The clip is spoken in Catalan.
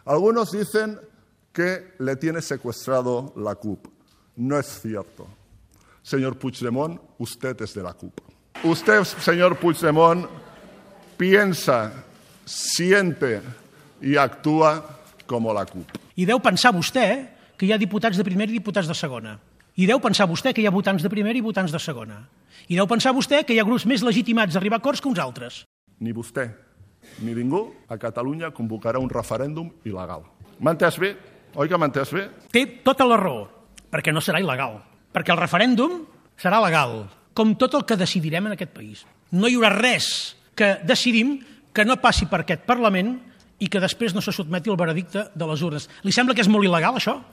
Algunos dicen que le tiene secuestrado la CUP. No es cierto. Señor Puigdemont, usted es de la CUP. Usted, señor Puigdemont, piensa, siente y actúa como la CUP. I deu pensar vostè que hi ha diputats de primera i diputats de segona. I deu pensar vostè que hi ha votants de primera i votants de segona. I deu pensar vostè que hi ha grups més legitimats d'arribar a acords que uns altres. Ni vostè ni ningú a Catalunya convocarà un referèndum il·legal. M'ha entès bé? Oi que m'ha entès bé? Té tota la raó, perquè no serà il·legal. Perquè el referèndum serà legal, com tot el que decidirem en aquest país. No hi haurà res que decidim que no passi per aquest Parlament i que després no se sotmeti al veredicte de les urnes. Li sembla que és molt il·legal, això?